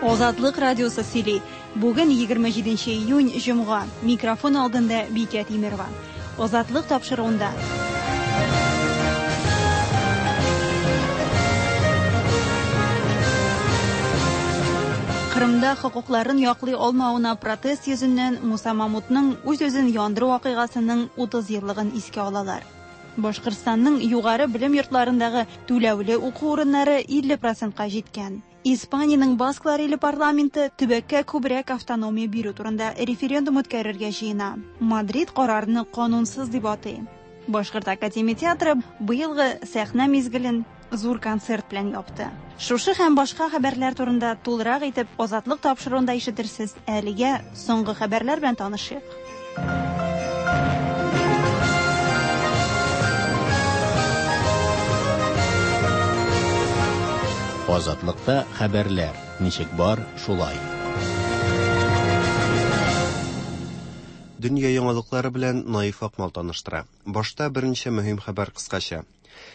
Азатлык радиосы сөйли. Бүген 27 июнь, җомга. Микрофон алдында Бикә Тимерова. Азатлык тапшыруында. Кырымда хокукларын яклый алмавына протест йөзеннән Муса Мамутның үз-үзен яндыру вакыйгасының 30 еллыгын искә алалар. Башкортстанның югары белем йортларындагы түләүле уку урыннары 50 процентка җиткән. Испаниянең Басклар иле парламенты төбәккә күбрәк автономия бирү турында референдум үткәрергә җыена. Мадрид карарны канунсыз дип атый. Башкорт академия театры быелгы сәхнә мизгелен зур концерт белән япты. Шушы һәм башка хәбәрләр турында тулырак итеп Азатлык тапшыруында ишетерсез. Әлегә соңгы хәбәрләр белән танышыйк. Азатлыкта хәбәрләр ничек бар, шулай. Дөнья яңалыклары белән Наиф Акмал таныштыра. Башта берничә мөһим хәбәр кыскача.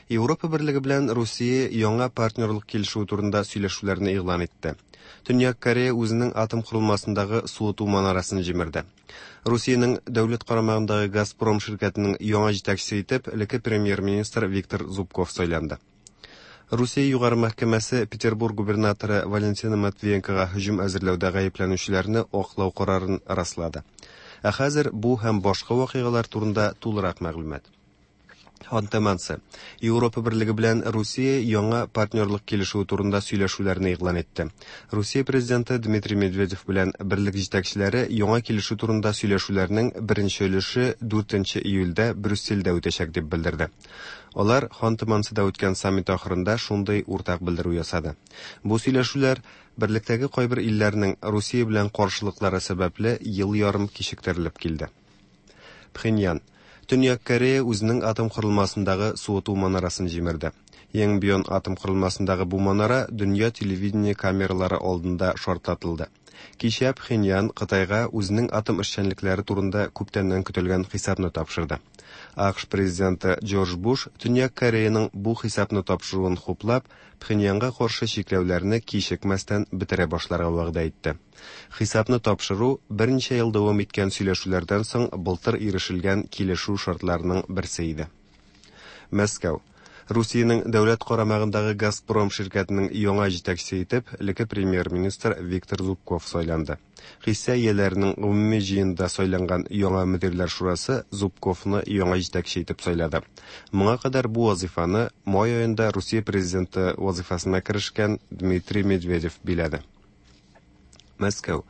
Европа Берлеге белән Русия яңа партнерлык килешүе турында сөйләшүләрне игълан итте. Төньяк Корея үзенең атом корылмасындагы суыту манарасын җимерде. Русиянең дәүләт карамагындагы Газпром ширкәтенең яңа җитәкчесе итеп элекке премьер-министр Виктор Зубков сайланды. Русия Югары мәхкәмәсе Петербург губернаторы Валентина Матвиенкога һөҗүм әзерләүдә гаепләнүчеләрне аклау карарын раслады. Ә хәзер бу һәм башка вакыйгалар турында тулырак мәгълүмат. Ханты-Мансы. Европа Берлеге белән Русия яңа партнерлык килешүе турында сөйләшүләрне игълан итте. Русия президенты Дмитрий Медведев белән берлек җитәкчеләре яңа килешү турында сөйләшүләрнең беренче өлеше 4 июльдә Брюссельдә үтәчәк дип белдерде. Алар Ханты-Мансыда үткән саммит ахырында шундый уртак белдерү ясады. Бу сөйләшүләр берлектәге кайбер илләрнең Русия белән каршылыклары сәбәпле ел ярым кичектерелеп килде. Пхеньян. Төньяк Корея үзенең атом корылмасындагы суыту манарасын җимерде. Йонгбьон атом корылмасындагы бу манара дөнья телевидение камералары алдында шартлатылды. Кичә Пхеньян Кытайга үзенең атом эшчәнлекләре турында күптәннән көтелгән хисапны тапшырды. АКШ президенты Джордж Буш Төньяк Кореяның бу хисапны тапшыруын хуплап, Пхеньянга каршы чикләүләрне кичекмәстән бетерә башларга вәгъдә итте. Хисапны тапшыру берничә ел дәвам иткән сөйләшүләрдән соң былтыр ирешелгән килешү шартларының берсе иде. Мәскәү. Русиянең дәүләт карамагындагы Газпром ширкәтенең яңа җитәкчесе итеп элекке премьер-министр Виктор Зубков сайланды. Хисса ияләренең гомуми җыенында сайланган яңа мөдирләр шурасы Зубковны яңа җитәкче итеп сайлады. Моңа кадәр бу вазыйфаны май аенда Русия президенты вазыйфасына керешкән Дмитрий Медведев биләде. Мәскәү.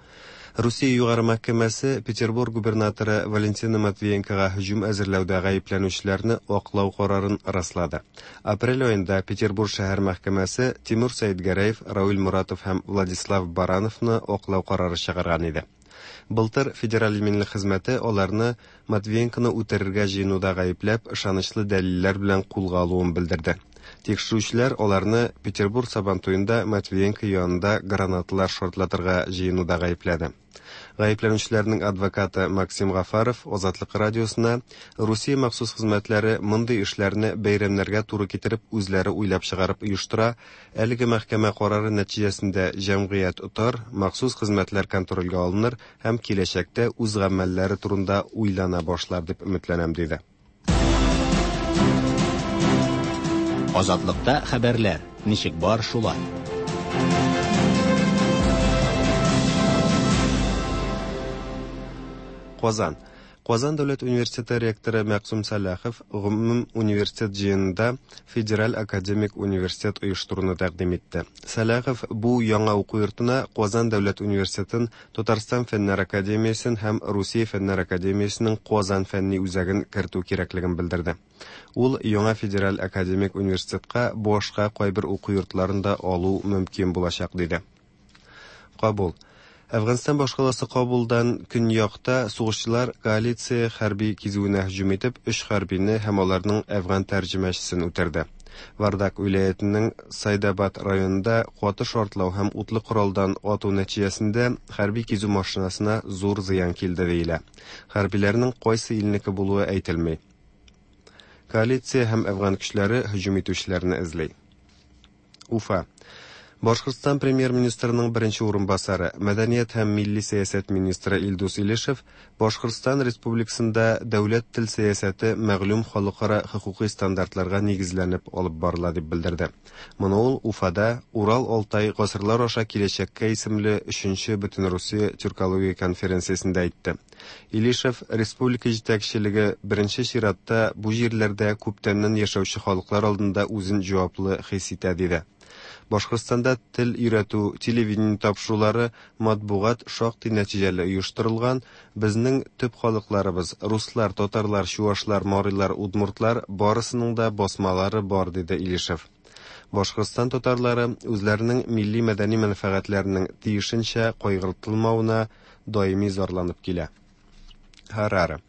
Русия Югары мәхкәмәсе Петербург губернаторы Валентина Матвиенкога һөҗүм әзерләүдә гаепләнүчеләрне аклау карарын раслады. Апрель аенда Петербург шәһәр мәхкәмәсе Тимур Сәетгәрәев, Равил Моратов һәм Владислав Барановны аклау карары чыгарган иде. Былтыр Федераль иминлек хезмәте аларны Матвиенконы үтерергә җыенуда гаепләп, ышанычлы дәлилләр белән кулга алуын белдерде. Тикшерүчеләр аларны Петербург Сабантуенда Матвиенко янында гранаталар шартлатырга җыенуда гаепләде. Гаепләнүчеләрнең адвокаты Максим Гафаров Азатлык радиосына Русия махсус хезмәтләре мондый эшләрне бәйрәмнәргә туры китереп үзләре уйлап чыгарып оештыра, әлеге мәхкәмә карары нәтиҗәсендә җәмгыять отар, махсус хезмәтләр контрольгә алыныр һәм киләчәктә үз гамәлләре турында уйлана башлар дип өметләнәм, диде. Азатлыкта хәбәрләр ничек бар шулай. Казан. Казан дәүләт университеты ректоры Мәкъсум Сәлахов гомум университет җыенында Федераль академик университет оештыруны тәкъдим итте. Сәлахов бу яңа уку йортына Казан дәүләт университетын, Татарстан фәннәр академиясен һәм Русия фәннәр академиясенең Казан фәнни үзәген кертү кирәклеген белдерде. Ул яңа федераль академик университетка башка кайбер уку йортларын да алу мөмкин булачак, диде. Кабул. Әфганстан башкаласы Кабулдан көньякта сугышчылар коалиция хәрби кизүенә һөҗүм итеп, өч хәрбине һәм аларның әфган тәрҗемәчесен үтерде. Вардак вилаятенең Сайдабад районында каты шартлау һәм утлы коралдан ату нәтиҗәсендә хәрби кизү машинасына зур зыян килде диелә. Хәрбиләрнең кайсы илнеке булуы әйтелми. Коалиция һәм әфган көчләре һөҗүм итүчеләрне эзли. Уфа. Башкортстан премьер-министрының беренче урынбасары, мәдәният һәм милли сәясәт министры Илдус Илешев Башкортстан Республикасында дәүләт тел сәясәте мәгълүм халыкара хокукый стандартларга нигезләнеп алып барыла дип белдерде. Моны ул Уфада Урал-Алтай гасырлар аша киләчәккә исемле өченче Бөтенрусия тюркология конференциясендә әйтте. Илишев республика җитәкчелеге беренче чиратта бу җирләрдә күптәннән яшәүче халыклар алдында үзен җаваплы хис итә диде. Башкортстанда тел өйрәтү, телевидение тапшырулары, матбугат шактый нәтиҗәле оештырылган, безнең төп халыкларыбыз, руслар, татарлар, чуашлар, марилар, удмуртлар, барысының да басмалары бар, диде Илишев. Башкортстан татарлары үзләренең милли-мәдәни мәнфәгатьләренең тиешенчә кайгыртылмавына даими зарланып килә. Хараре.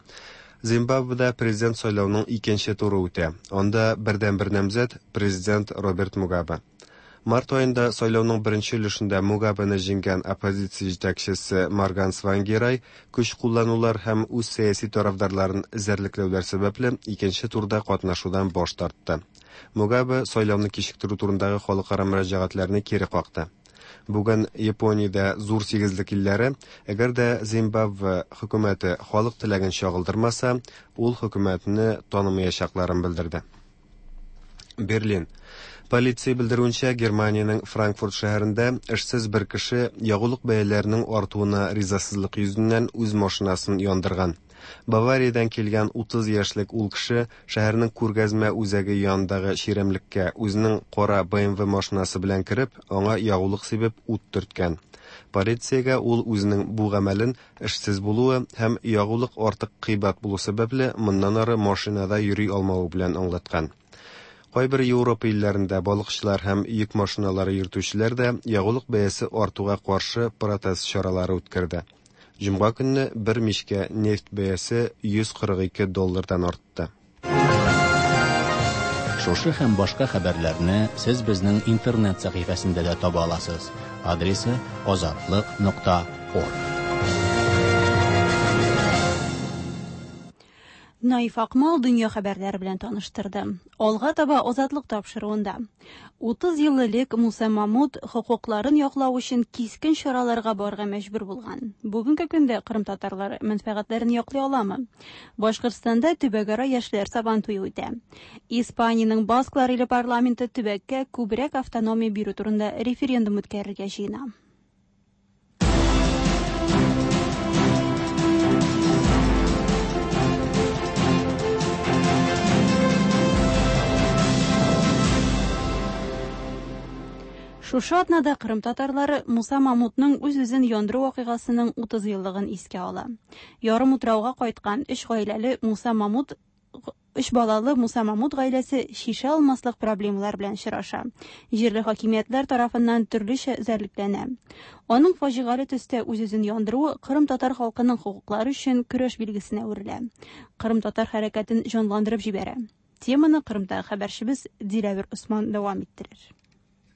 Зимбабведа президент сайлауның икенче туры үтә. Анда бердәнбер намзәт президент Роберт Мугабе. Март аенда сайлауның беренче өлешендә Мугабены җиңгән оппозиция җитәкчесе Морган Свангирай көч кулланулар һәм үз сәяси тарафдарларын эзәрлекләүләр сәбәпле икенче турда катнашудан баш тартты. Мугабе сайлауны кичектерү турындагы халыкара мөрәҗәгатьләрне кире какты. Бүген Япониядә зур сигезлек илләре, әгәр дә Зимбабве хөкүмәте халык теләген чагылдырмаса, ул хөкүмәтне танымаячакларын белдерде. Берлин. Полиция белдерүенчә, Германиянең Франкфурт шәһәрендә эшсез бер кеше ягулык бәяләренең артуына ризасызлык йөзеннән үз машинасын яндырган. Бавариядән килгән 30 яшьлек ул кеше шәһәрнең күргәзмә үзәге янындагы чирәмлеккә үзенең кара BMW машинасы белән кереп, аңа ягулык сибеп ут төрткән. Полициягә ул үзенең бу гамәлен эшсез булуы һәм ягулык артык кыйбат булу сәбәпле моннан ары машинада йөри алмавы белән аңлаткан. Кайбер Европа илләрендә балыкчылар һәм йөк машиналары йөртүчеләр дә ягулык бәясе артуга каршы протест чаралары үткәрде. Җомга көнне бер мичкә нефть бәясе 142 доллардан артты. Шушы һәм башка хәбәрләрне сез безнең интернет сәхифәсендә дә таба аласыз. Адресы azatliq.org. Наиф Акмал дөнья хәбәрләре белән таныштырды. Алга таба Азатлык тапшыруында. 30 ел элек Муса Мамут хокукларын яклау өчен кискен чараларга барырга мәҗбүр булган. Бүгенге көндә Кырым татарлары мәнфәгатьләрен яклый аламы? Башкортстанда төбәкара яшьләр сабан туе үтә. Испаниянең Басклар иле парламенты төбәккә күбрәк автономия бирү турында референдум үткәрергә җыена. Шушы атнада Кырым татарлары Муса Мамутның үз-үзен яндыру вакыйгасының 30 еллыгын искә ала. Ярым утрауга кайткан өч гаиләле Муса Мамут өч балалы Муса Мамут гаиләсе шешә алмаслык проблемалар белән очраша. Җирле хакимиятләр тарафыннан төрлечә эзәрлекләнә. Аның фаҗигале төстә үз-үзен яндыруы Кырым татар халкының хокуклары өчен көрәш билгесенә әверелә. Кырым татар хәрәкәтен җанландырып җибәрә. Теманы Кырымдагы хәбәрчебез Диләвер Усман дәвам иттерер.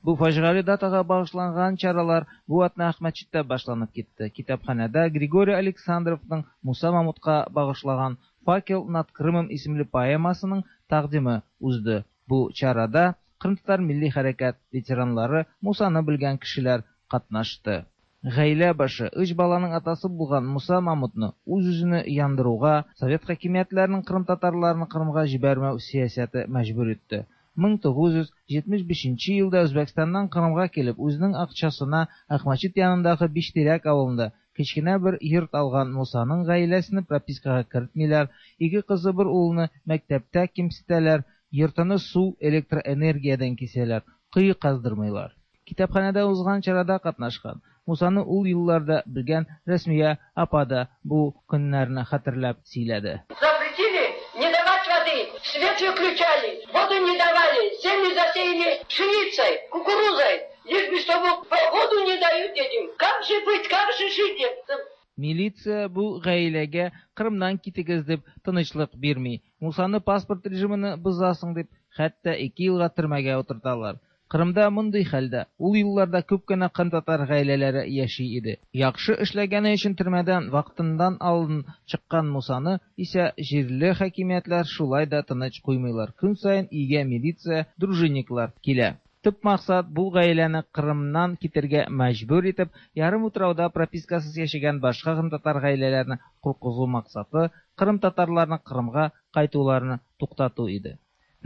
Бу фаҗигале датага багышланган чаралар бу атна Әхмәтчиттә башланып китте. Китапханәдә Григорий Александровның Муса Мамутка багышлаган «Факел над Крымом» исемле поэмасының тәкъдиме узды. Бу чарада Кырым татар милли хәрәкәт ветеранлары, Мусаны белгән кешеләр катнашты. Гаилә башы, өч баланың атасы булган Муса Мамутны үз-үзен яндыруга совет хакимиятләренең кырым татарларын Кырымга җибәрмәү сәясәте мәҗбүр итте. 1975 елда Үзбәкстаннан Кырымга килеп, үзенең акчасына Акмәчет янындагы Биштирәк авылында кечкенә бер йорт алган Мусаның гаиләсен пропискага кертмиләр, ике кызы бер улны мәктәптә кимсетәләр, йортыны су, электроэнергиядән кисәләр, кое каздырмыйлар. Китапханәдә узган чарада катнашкан Мусаны ул елларда белгән Рәсмия апа да бу көннәрне хәтерләп сөйләде. Запретили не давать воды, свет выключали, воду не давали, землю засеяли пшеницей, кукурузой, лишь бы чтобы воду не дают этим. Как же быть, как же жить? Милиция бу гаиләгә Кырымнан китегез дип тынычлык бирми. Мусаны паспорт режимын бозасың дип, хәтта 2 елга төрмәгә утырталар. Кырымда мондый хәлдә ул елларда күп кенә кырым татар гаиләләре яши иде. Яхшы эшләгәне өчен төрмәдән вакытыннан алдын чыккан Мусаны исә җирле хакимиятләр шулай да тыныч куймыйлар. Көн саен өйгә милиция, дружинниклар килә. Төп максат бу гаиләне Кырымнан китергә мәҗбүр итеп, ярымутрауда пропискасыз яшәгән башка кырымтатар гаиләләрне куркызу максаты кырымтатарларның Кырымга кайтуларын туктату иде.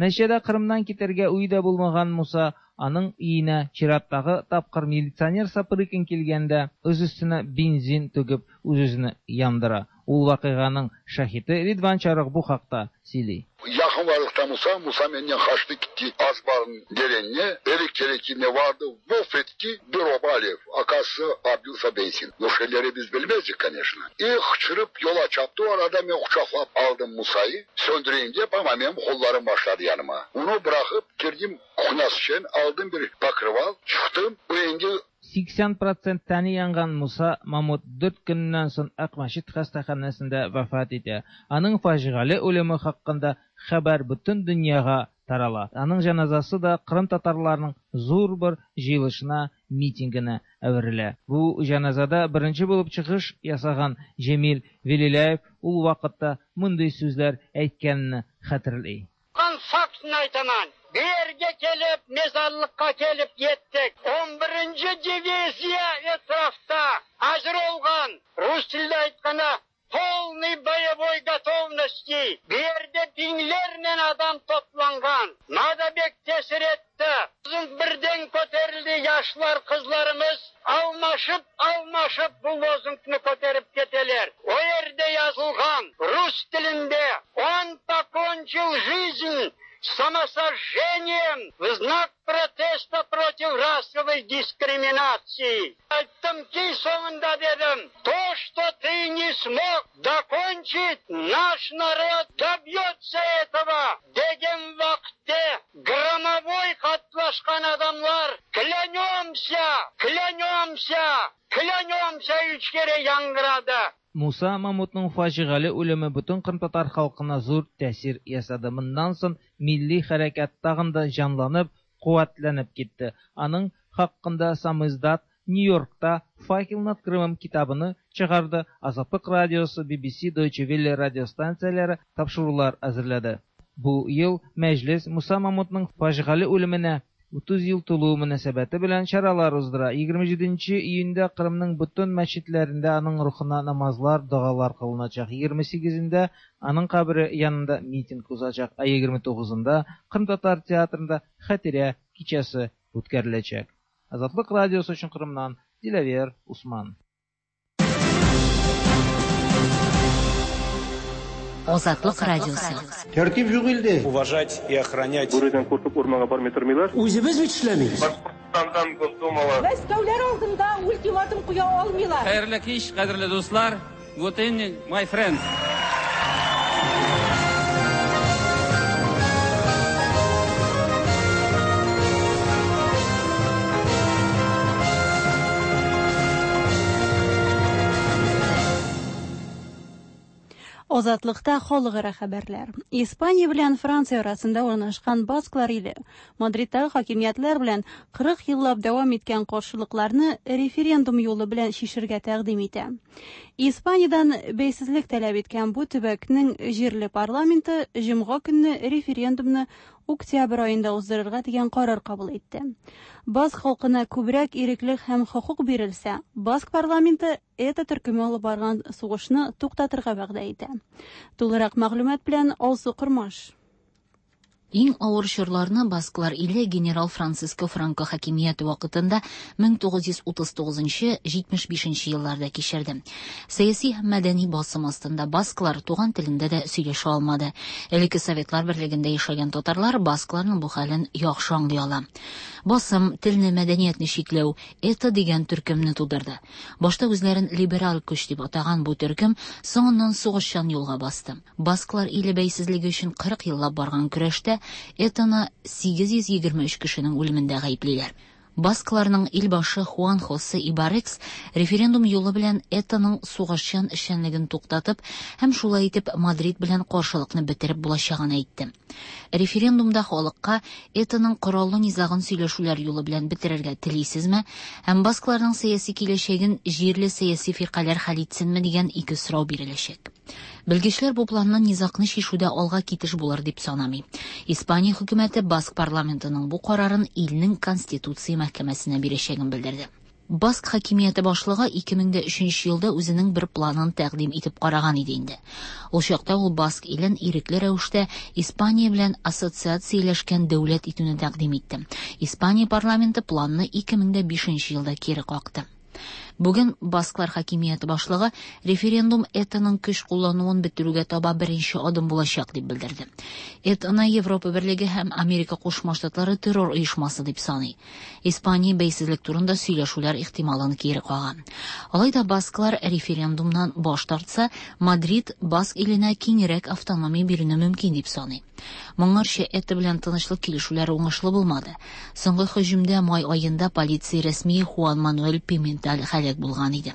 Нәтиҗәдә Кырымнан китәргә уе да булмаган Муса аның өенә чираттагы тапкыр милиционер Сапрыкин килгәндә үз өстенә бензин түгеп үз-үзен яндыра. Ул вакыйганың шаһиты Ридван Чарух бу хакта сөйли. Yakın varlıkta Musa, Musa menden kaçtı gitti Azbar'ın derenine, erik terekine vardı, vof etti bir oba alev. Akası Abdülsa benzin. O şeyleri biz bilmezdik, конечно. И hıçırıp yola çarptı, o arada ben kucaklap aldım Musa'yı, söndüreyim diye ama benim kollarım başladı yanıma. Onu bırakıp girdim kuhnası için, aldım bir bakırval, çıktım, bu engel 80% тәне янган Муса Мамут 4 көннән соң Акмәчет хастаханәсендә вафат итә. Аның фаҗигале үлеме хакында хәбәр бөтен дөньяга тарала. Аның җаназасы да Кырым татарларының зур бер җыелышына, митингына әверелә. Бу җаназада беренче булып чыгыш ясаган Җәмил Велиләев ул вакытта мондый сүзләр әйткәнне хәтерли. Фактын айтаман. Bu yerge kelip, mezarlıkka kelip yettik. 11. Diviziya etrafta hazır olgan, Rus tilde aytqana, полный боевой готовности. Bu yerde binlerle adam toplangan. Nada bek tesir etti. Bizim birden köterildi yaşlar kızlarımız. Almaşıp almaşıp bu lozungni köterip keteler. O yerde yazılgan Rus tilinde он покончил жизнь самосожжением в знак протеста против расовой дискриминации. Айттым ки соңында дедим, то, что ты не смог докончить, наш народ добьется этого. Деген вакытте громовой катнашкан адамлар клянемся, клянемся, клянемся үч кере яңгырады. Муса Мамутның фаҗигале үлеме бөтен кырымтатар халкына зур тәэсир ясады. Моннан соң милли хәрәкәт тагын да җанланып, куәтләнеп китте. Аның хакында самиздат Нью-Йоркта «Факел над Крымом» китабыны чыгарды, Азатлык радиосы, BBC, Deutsche Welle радиостанцияләре тапшырулар әзерләде. Бу ел Мәҗлес Муса Мамутның фаҗигале үлеменә 30 ел тулуы мөнәсәбәте белән чаралар уздыра. 27 июньдә Кырымның бөтен мәчетләрендә аның рухына намазлар, догалар кылыначак. 28-ндә аның кабере янында митинг узачак, ә 29-ында Кырым театрында хәтирә кичәсе үткәреләчәк. Азатлык радиосы өчен Кырымнан Диләвер Усман. Азатлык радиосы. Тәртип юк илдә. Уважать и охранять. Бүредән куркып урманга бармый тормыйлар. Үзебез бит эшләмибез. Башкортстандан Госдумага. Мәскәүләр алдында ультиматум куя алмыйлар. Хәерле кич, кадерле дуслар. Good evening, my friends. Азатлыкта халыкара хәбәрләр. Испания белән Франция арасында урнашкан Басклар иле Мадридтагы хакимиятләр белән 40 еллап дәвам иткән каршылыкларны референдум юлы белән чишергә тәкъдим итә. Испаниядән бәйсезлек таләп иткән бу төбәкнең җирле парламенты җомга көнне референдумны октябрь аенда уздырырга дигән карар кабул итте. Баск халкына күбрәк иреклек һәм хокук бирелсә, Баск парламенты ЭТА төркеме алып барган сугышны туктатырга вәгъдә итә. Тулырак мәгълүмат белән Алсу Кормаш. Иң авыр чорларны Басклар иле генерал Франциско Франко хакимияте вакытында 1939-75 елларда кичерде. Сәяси һәм мәдәни басым астында басклар туган телендә дә сөйләшә алмады. Элекке Советлар берлегендә яшәгән татарлар баскларның бу хәлен яхшы аңлый ала. Басым, телне, мәдәниятне чикләү ЭТА дигән төркемне тудырды. Башта үзләрен либераль көч дип атаган бу төркем соңыннан сугышчан юлга басты. Басклар иле бәйсезлеге өчен 40 еллап барган көрәштә ЭТАны 823 кешенең үлемендә гаеплиләр. Баскларның илбашы Хуан Хосе Ибарекс референдум юлы белән ЭТАның сугышчан эшчәнлеген туктатып һәм шулай итеп Мадрид белән каршылыкны бетереп булачагын әйтте. Референдумда халыкка ЭТАның кораллы низагын сөйләшүләр юлы белән бетерергә телисезме һәм баскларның сәяси киләчәген җирле сәяси фиркаләр хәл итсенме дигән ике сорау биреләчәк. Белгечләр бу планны низагны чишүдә алга китеш булыр дип санамый. Испания хөкүмәте Баск парламентының бу карарын илнең Конституция мәхкәмәсенә бирәчәген белдерде. Баск хакимияте башлыгы 2003 елда үзенең бер планын тәкъдим итеп караган иде инде. Ул чакта ул Баск илен ирекле рәвештә Испания белән ассоциацияләшкән дәүләт итүне тәкъдим итте. Испания парламенты планны 2005 елда кире какты. Бүген Басклар хакимияте башлыгы референдум ЭТАның көч куллануын бетерүгә таба беренче адым булачак дип белдерде. ЭТАны Европа Берлеге һәм Америка Кушма Штатлары террор оешмасы дип саный. Испания бәйсезлек турында сөйләшүләр ихтималын кире кага. Алай да басклар референдумнан баш тартса, Мадрид Баск иленә киңрәк автономия бирүне мөмкин дип саный. Моңарчы ЭТА белән тынычлык килешүләре уңышлы булмады. Соңгы һөҗүмдә май аенда полиция рәсмие Хуан Мануэль Пименталь һәлак булган иде.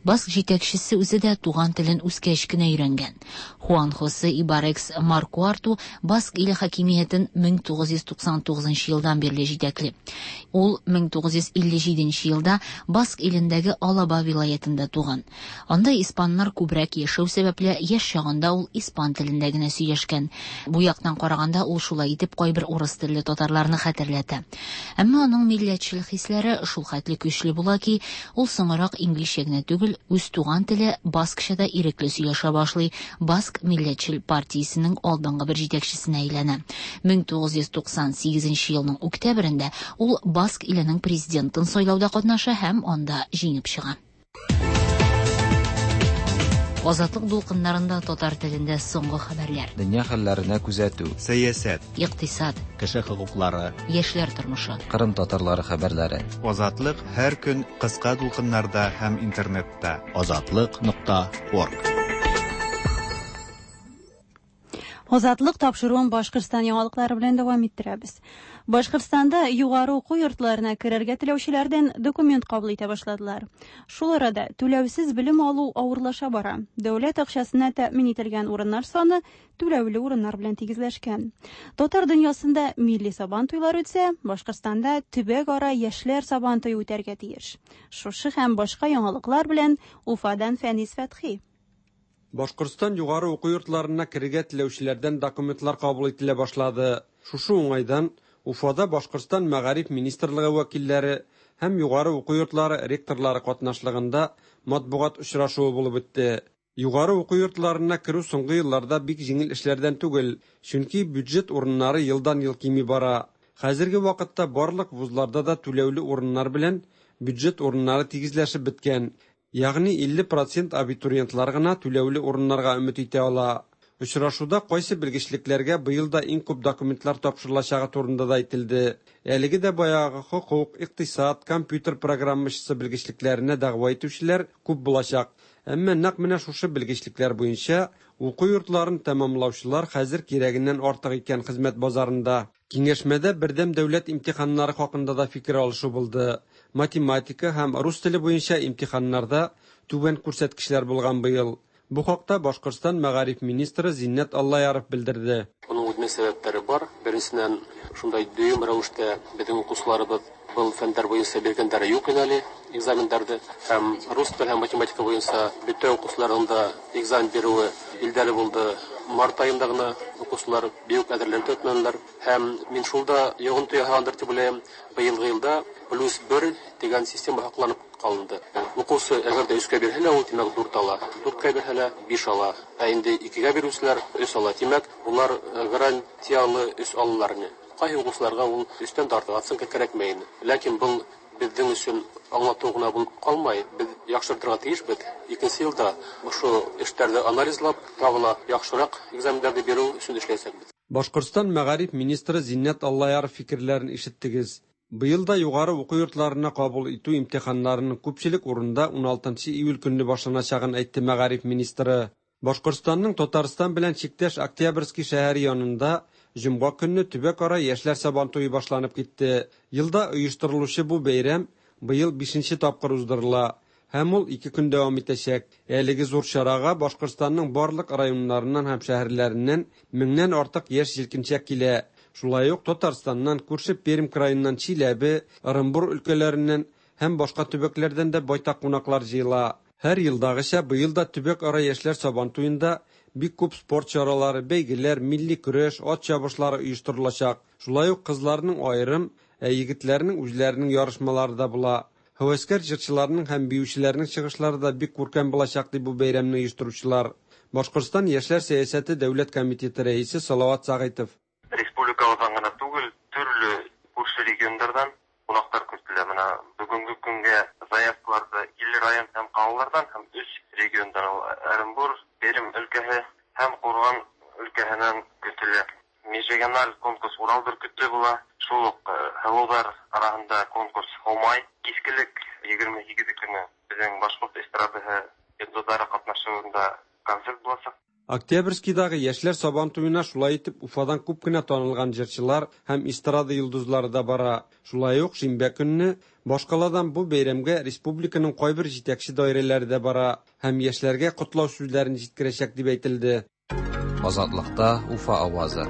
Баск җитәкчесе үзе дә туган телен үскәч кенә өйрәнгән. Хуан Хосе Ибарекс Маркуарту Баск иле хакимиятен 1999 елдан бирле җитәкли. Ул 1957 елда Баск илендәге Алаба вилаятында туган. Анда испаннар күбрәк яшәү сәбәпле яшь чагында ул испан телендә генә сөйләшкән. Бу яктан караганда ул шулай итеп кайбер урыс телле татарларны хәтерләтә. Әмма аның милләтчел хисләре шул хәтле көчле була ки, ул соңрак инглизчә генә түгел, үз туган теле баскча да ирекле сөйләшә башлый. Баск милләтчел партиясенең алдынгы бер җитәкчесенә әйләнә. 1998 елның октябрендә ул Баск иленең президентын сайлауда катнаша һәм анда җиңеп чыга. Азатлык дулкыннарында татар телендә соңгы хәбәрләр. Дөнья хәлләренә күзәтү. Сәясәт. Икътисад. Кеше хокуклары. Яшьләр тормышы. Кырым татарлары хәбәрләре. Азатлык һәр көн кыска дулкыннарда һәм интернетта. Азатлык.орг. Азатлык тапшыруын Башкортстан яңалыклары белән дәвам иттерәбез. Башкортстанда югары уку йортларына керергә теләүчеләрдән документ кабул итә башладылар. Шул арада түләүсез белем алу авырлаша бара. Дәүләт акчасына тәэмин ителгән урыннар саны түләүле урыннар белән тигезләшкән. Татар дөньясында милли сабан туйлар үтсә, Башкортстанда төбәк-ара яшьләр сабан туе үтәргә тиеш. Шушы һәм башка яңалыклар белән Уфадан Фәнис Фәтхи. Башкортстан югары уку йортларына керергә теләүчеләрдән документлар кабул ителә башлады. Шушы уңайдан Уфада Башкортстан Мәгариф министрлыгы вәкилләре һәм югары уку йортлары ректорлары катнашлыгында матбугат очрашуы булып үтте. Югары уку йортларына керү соңгы елларда бик җиңел эшләрдән түгел, чөнки бюджет урыннары елдан-ел кими бара. Хәзерге вакытта барлык вузларда да түләүле урыннар белән бюджет урыннары тигезләшеп беткән. Ягъни 50% абитуриентлар гына түләүле урыннарга өмет итә ала. Очрашуда кайсы белгечлекләргә быел да иң күп документлар тапшырылачагы турында да әйтелде. Әлеге дә баягы хокук, икътисад, компьютер программачысы белгечлекләренә дәгъва итүчеләр күп булачак. Әмма нәкъ менә шушы белгечлекләр буенча уку йортларын тәмамлаучылар хәзер кирәгеннән артык икән хезмәт базарында. Киңәшмәдә бердәм дәүләт имтиханнары хакында да фикер алышу булды. Математика һәм рус теле буенча имтиханнарда түбән күрсәткечләр булган быел. Бу хакта Башкортстан мәгариф министры Зиннәт Аллаяров белдерде. Моның үзенең сәбәпләре бар. Беренчедән, шундай дөйем рәвештә безнең укучыларыбыз был фәндәр буенча биргәндәре юк иде әле экзаменнарны. Һәм рус теле һәм математика буенча бөтен укучыларның да экзамен бирүе билгеле булды. Март аенда гына укучылар бик әзерләнеп үтмәделәр. Һәм мин шул да йогынты ясагандыр дип уйлыйм. Быелгы елда +1 дигән система һакланып калынды. Укучы әгәр дә 3-кә бирһә, ул димәк 4 ала. 4-кә бирһә, 5 ала. Ә инде 2-гә бирүчеләр 3 ала. Димәк, булар гарантиялы 3 алалар. Кайсы укучыларга ул 3-тән тартып оценка кирәкмәй. Ләкин был безнең өчен аңлату гына булып калмай, без яхшыртырга тиешбез. Икенче елда ошо эшләрне анализлап, тагы ла яхшырак экзаменнарны бирү өчен эшләячәкбез. Башкортстан мәгариф министры Зиннәт Аллаяров фикерләрен ишеттегез. Быел да югары уку йортларына кабул итү имтиханнарының күпчелек урында 16 июль көнне башланачагын әйтте мәгариф министры. Башкортстанның Татарстан белән чиктәш Октябрьский шәһәре янында җомга көнне төбәк-ара яшьләр сабан туе башланып китте. Елда оештырылучы бу бәйрәм быел 5нче тапкыр уздырыла һәм ул 2 көн дәвам итәчәк. Әлеге зур чарага Башкортстанның барлык районнарыннан һәм шәһәрләреннән 1000-нән артык яшь җилкенчәк килә. Шулай ук Татарстаннан, күрше Пермь краеннан, Чиләбе, Ырымбур өлкәләреннән һәм башка төбәкләрдән дә байтак кунаклар җыела. Һәр елдагыча, быел да төбәк-ара яшьләр Сабантуенда бик күп спорт чаралары, бәйгеләр, милли көрәш, ат чабышлары оештырылачак. Шулай ук кызларның аерым, ә егетләрнең үзләренең ярышмалары да була. Һәвәскәр җырчыларның һәм биючеләрнең чыгышлары да бик күркәм булачак, ди бу бәйрәмне оештыручылар. Башкортстан Яшьләр сәясәте дәүләт комитеты рәисе Салават Сәгыйтов. Республикабыздан гына түгел, төрле күрше регионнардан кунаклар көтелә. Менә бүгенге көнгә заявкаларда 50 район һәм калалардан һәм өч региондан, ул Оренбур, Пермь өлкәһе һәм Курган өлкәһеннән көтелә. Межрегиональ конкурс Урал бөркете була. Шул ук һылудар араһында конкурс Һомай. Кичкелек 28 көне безнең башкорт эстрадаһы йолдызлары катнашуында концерт булачак. Октябрьскийдагы яшьләр Сабантуена шулай итеп Уфадан күп кенә танылган җырчылар һәм эстрада йолдызлары да бара. Шулай ук шимбә көнне башкаладан бу бәйрәмгә республиканың кайбер җитәкче даирәләре дә бара һәм яшьләргә котлау сүзләрен җиткерәчәк дип әйтелде. Азатлыкта Уфа авазы.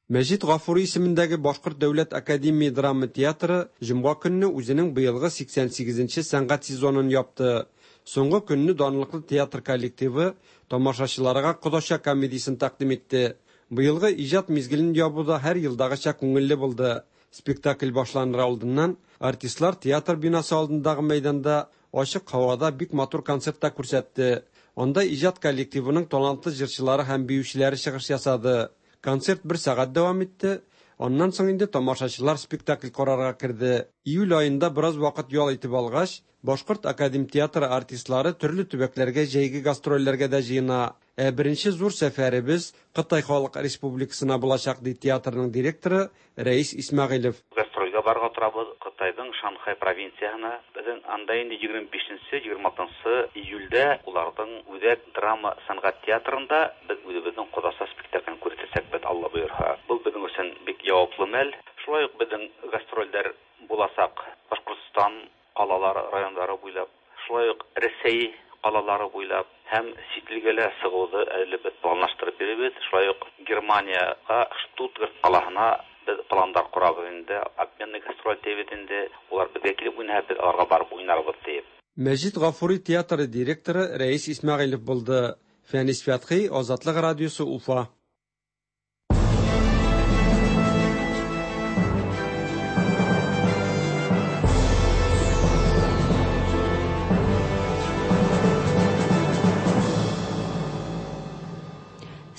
Мәҗит Гафури исемендәге Башкорт дәүләт академия драма театры җомга көнне үзенең быелгы 88 нче сәнгать сезонын япты. Соңгы көнне данлыклы театр коллективы тамашачыларга Кодача комедиясен тәкъдим итте. Быелгы иҗат мизгелен ябу да һәр елдагыча күңелле булды. Спектакль башланыр алдыннан артистлар театр бинасы алдындагы мәйданда ачык һавада бик матур концерт та күрсәтте. Анда иҗат коллективының талантлы җырчылары һәм биючеләре чыгыш ясады. Концерт бер сәгать дәвам итте. Аннан соң инде тамашачылар спектакль карарга керде. Июль аенда бераз вакыт ял итеп алгач, Башкорт академ театры артистлары төрле төбәкләргә җәйге гастрольләргә дә җыена. Ә беренче зур сәфәребез Кытай Халык Республикасына булачак, ди театрның директоры Рәис Исмәгыйлев. Гастрольгә барырга торабыз Кытайның Шанхай провинцияһына. Безнең анда инде 25-нче, 26 июльдә уларның Үзәк драма сәнгать театрында без үзебезнең Кодаса спектаклен күрсәтәчәкбез, Алла боерһа. Был безнең өчен бик яваплы мәл. Шулай ук безнең гастрольләр булачак Башкортстан калалары, районнары буйлап, шулай ук Рәсәй калалары буйлап һәм чит илгә лә чыгуды әле без планлаштырып йөрибез. Шулай ук Германиягә, Штутгарт калаһына без пландар корабыз инде, обменный гастроль дибез инде, улар безгә килеп уйнаса, без аларга барып уйнарбыз диеп. Мәҗит Гафури театры директоры Рәис Исмәгыйлев булды. Фәнис Фәтхи, Азатлык радиосы, Уфа.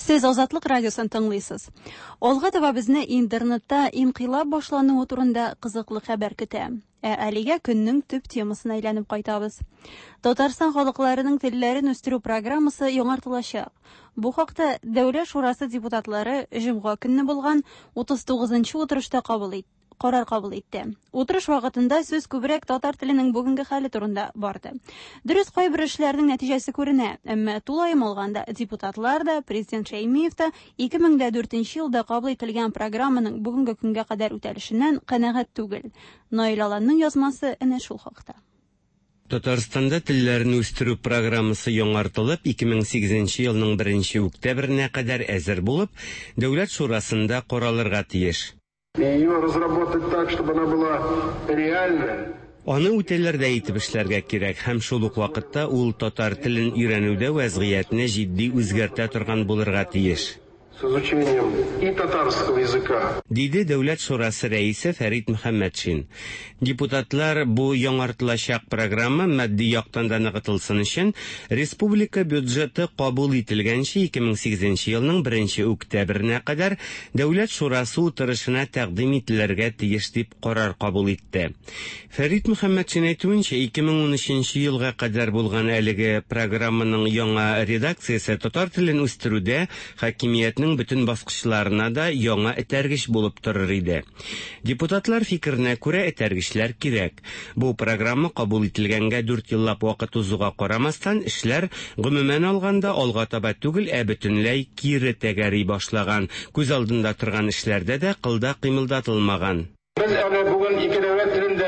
Сез Азатлык радиосын тыңлыйсыз. Алга таба безне интернетта инкыйлаб башлануы турында кызыклы хәбәр көтә. Ә әлегә көннең төп темасына әйләнеп кайтабыз. Татарстан халыкларының телләрен үстерү программасы яңартылачак. Бу хакта Дәүләт шурасы депутатлары җомга көнне булган 39 утырышта кабул итте карар кабул итте. Утырыш вакытында сүз күбрәк татар теленең бүгенге хәле турында барды. Дөрес, кайбер эшләрнең нәтиҗәсе күренә, әмма тулаем алганда депутатлар да, президент Шәймиев та 2004 елда кабул ителгән программаның бүгенге көнгә кадәр үтәлешеннән канәгать түгел. Наил Аланның язмасы әнә шул хакта. Татарстанда телләрне үстерү программасы яңартылып, 2008 елның 1 октябренә кадәр әзер булып, Дәүләт шурасында каралырга тиеш. Ее разработать так, чтобы она была реальная. Аны үтәләрдәй итеп эшләргә кирәк һәм шул ук вакытта ул татар телен өйрәнүдә вәзгыятьне җитди үзгәртә торган булырга тиеш. С изучением и татарского языка. Диде Дәүләт шурасы рәисе Фәрит Мөхәммәтшин. Депутатлар бу яңартылачак программа матди яктан да ныгытылсын өчен республика бюджеты кабул ителгәнче 2008 елның 1 октябренә кадәр Дәүләт шурасы утырышына тәкъдим ителергә тиеш дип карар кабул итте. Фәрит Мөхәммәтшин әйтүенчә, 2013 елга кадәр булган әлеге программаның яңа редакциясе татар телен үстерүдә хакимиятнең бөтен баскычларына да яңа этәргеч булып торыр иде. Депутатлар фикеренә күрә, этәргечләр кирәк. Бу программа кабул ителгәнгә 4 еллап вакыт узуга карамастан, эшләр гомумән алганда алга таба түгел, ә бөтенләй кире тәгәри башлаган. Күз алдында торган эшләрдә дә кылда кыймылдатылмаган. Без әле бүген ике дәүләт телендә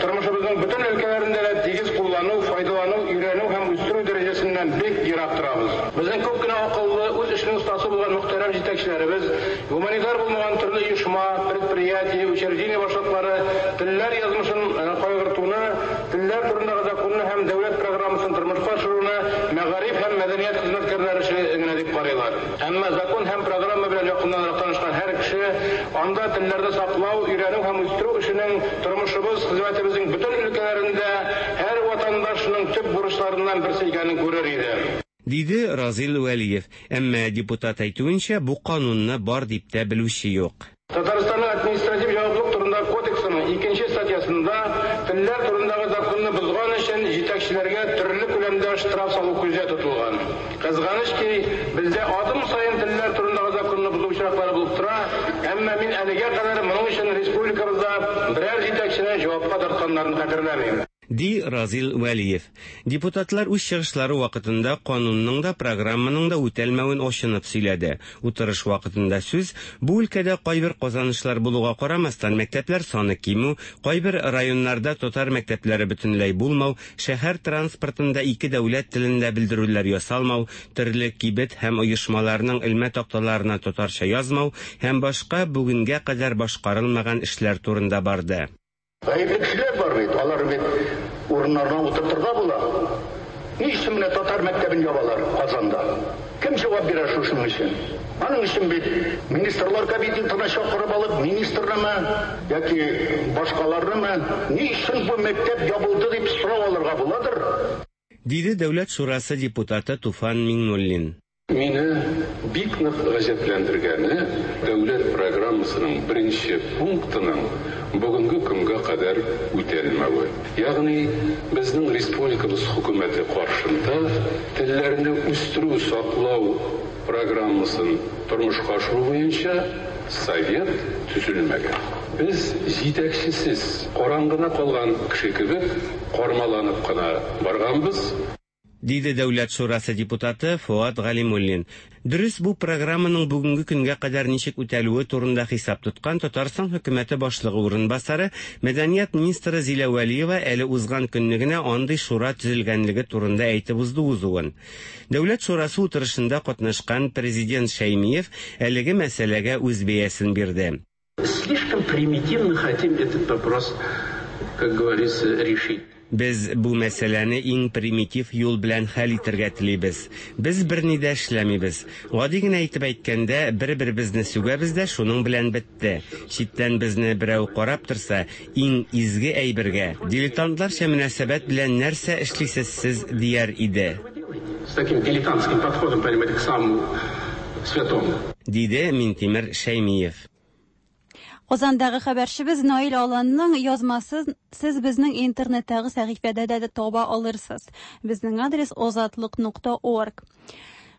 тормышыбызның бөтен өлкәләрендә дә тигез куллану, файдалану, өйрәнү һәм үстерү дәрәҗәсеннән бик ерак торабыз. Безнең күп кенә акыллы, үз эшенең остасы булган мөхтәрәм җитәкчеләребез, гуманитар булмаган төрле оешма, предприятие, учреждение башлыклары телләр язмышын кайгыртуны, телләр турындагы законны һәм анда телләрне саклау, өйрәнү һәм үстерү эшенең тормышыбыз, хезмәтебезнең бөтен өлкәләрендә һәр ватандашның төп бурычларыннан берсе икәнен күрер иде. Диде Разил Вәлиев. Әмма депутат әйтүенчә, бу канунны бар дип тә белүче юк. Татарстанның административ җаваплылык турындагы кодексының икенче статьясында телләр турындагы законны бозган өчен җитәкчеләргә төрле күләмдә штраф салу күздә тотылган. Кызганыч ки, бездә адым саен телләр турындагы законны бозу очраклары булып тора, әмма мин әлегә кадәр моның өчен республикабызда берәр җитәкчене җавапка тартканнарын хәтерләмим. Ди Разил Вәлиев. Депутатлар үз чыгышлары вакытында канунның да, программаның да үтәлмәвен ачынып сөйләде. Утырыш вакытында сүз бу өлкәдә кайбер казанышлар булуга карамастан, мәктәпләр саны кимү, кайбер районнарда татар мәктәпләре бөтенләй булмау, шәһәр транспортында ике дәүләт телендә белдерүләр ясалмау, төрле кибет һәм оешмаларның элмә такталарына татарча язмау һәм башка бүгенгә кадәр башкарылмаган эшләр турында барды. Гаепле кешеләр бар бит, алар бит урыннарына утыртырга була. Ни өчен менә татар мәктәбен ябалар Казанда? Кем җавап бирә шушының өчен? Аның өчен бит министрлар кабинетына чакырып алып, министрнымы яки башкаларнымы, ни өчен бу мәктәп ябылды дип сорау алырга буладыр? Диде Дәүләт шурасы депутаты Туфан Миңнуллин. Мине бик нык гаҗәпләндергәне, дәүләт программасының беренче пунктының бүгенге көнгә кадәр үтәлмәве. Ягъни безнең республикабыз хөкүмәте каршында телләрне үстерү, саклау программасын тормышка ашыру буенча совет төзелмәгән. Без җитәкчесез, караңгыда калган кеше кебек кармаланып кына барганбыз. Диде Дәүләт шурасы депутаты Фоат Галимуллин. Дөрес, бу программаның бүгенге көнгә кадәр ничек үтәлүе турында хисап тоткан Татарстан хөкүмәте башлыгы урынбасары, мәдәният министры Зилә Вәлиева әле узган көнне генә андый шура төзелгәнлеге турында әйтеп узды узуын. Дәүләт шурасы утырышында катнашкан президент Шәймиев әлеге мәсьәләгә үз бәясен бирде. Слишком примитивно хотим этот вопрос, как говорится, решить. Без бу мәсьәләне иң примитив юл белән хәл итәргә телибез. Без берни дә эшләмибез. Гади генә итеп әйткәндә, бер-беребезне сүгәбез дә шуның белән бетте. Читтән безне берәү карап торса, иң изге әйбергә, дилетантларча мөнәсәбәт белән нәрсә эшлисез сез, дияр иде. С таким дилетантским подходом, понимаете, к самому святому. Диде Минтимер Шәймиев. Казандагы хәбәрчебез Наил Аланның язмасын сез безнең интернеттагы сәхифәдә дә таба алырсыз. Безнең адрес озатлык.орг.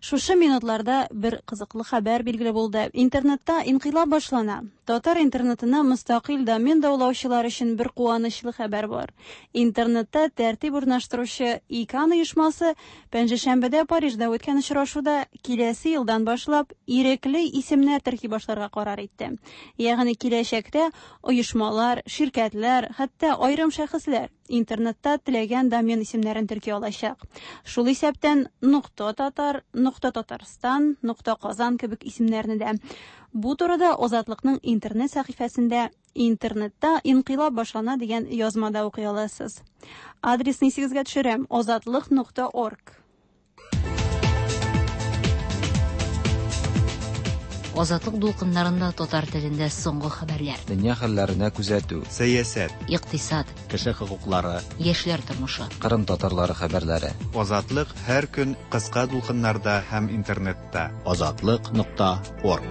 Шушы минутларда бер кызыклы хәбәр билгеле булды. Интернетта инкыйлаб башлана. Татар интернетына мөстәкыйль домен даулаучылар өчен бер куанычлы хәбәр бар. Интернетта тәртип урнаштыручы ИКАН оешмасы пәнҗешәмбедә Парижда үткән очрашуда киләсе елдан башлап ирекле исемнәр терки башларга карар итте. Ягъни киләчәктә оешмалар, ширкәтләр, хәтта аерым шәхесләр интернетта теләгән домен исемнәрен терки алачак. Шул исәптән .татар, .татарстан, .казан кебек исемнәрне дә. Бу турыда Озатлыкның интернет сәхифәсендә Интернетта инкыйлаб башлана дигән язмада укый аласыз. Адресны исегезгә төшерәм: озатлык.орг. Азатлык дулкыннарында татар телендә соңгы хәбәрләр. Дөнья хәлләренә күзәтү. Сәясәт. Икътисад. Кеше хокуклары. Яшьләр тормышы. Кырым татарлары хәбәрләре. Азатлык һәр көн кыска дулкыннарда һәм интернетта. Азатлык.орг.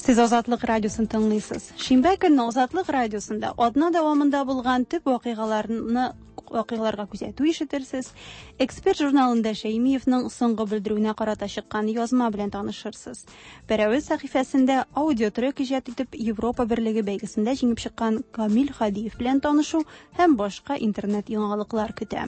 Сез Азатлык радиосын тыңлыйсыз. Шимбә көнне Азатлык радиосында атна дәвамында булган төп вакыйгаларны вакыйгаларга күзәтү ишетерсез. Эксперт журналында Шәймиевның соңгы белдерүенә карата чыккан язма белән танышырсыз. Пәрәвез сәхифәсендә аудиотрек иҗат итеп Европа берлеге бәйгесендә җиңеп чыккан Камил Хадиев белән танышу һәм башка интернет яңалыклар көтә.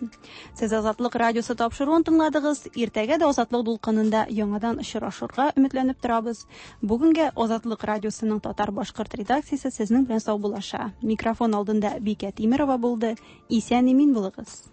Сез Азатлык радиосы тапшыруын тыңладыгыз. Иртәгә дә Азатлык дулкынында яңадан очрашырга өметләнеп торабыз. Бүгенгә Азатлык радиосының татар-башкорт редакциясе сезнең белән саубуллаша. Микрофон алдында Бикә Тимерова булды. Исән имин булыгыз.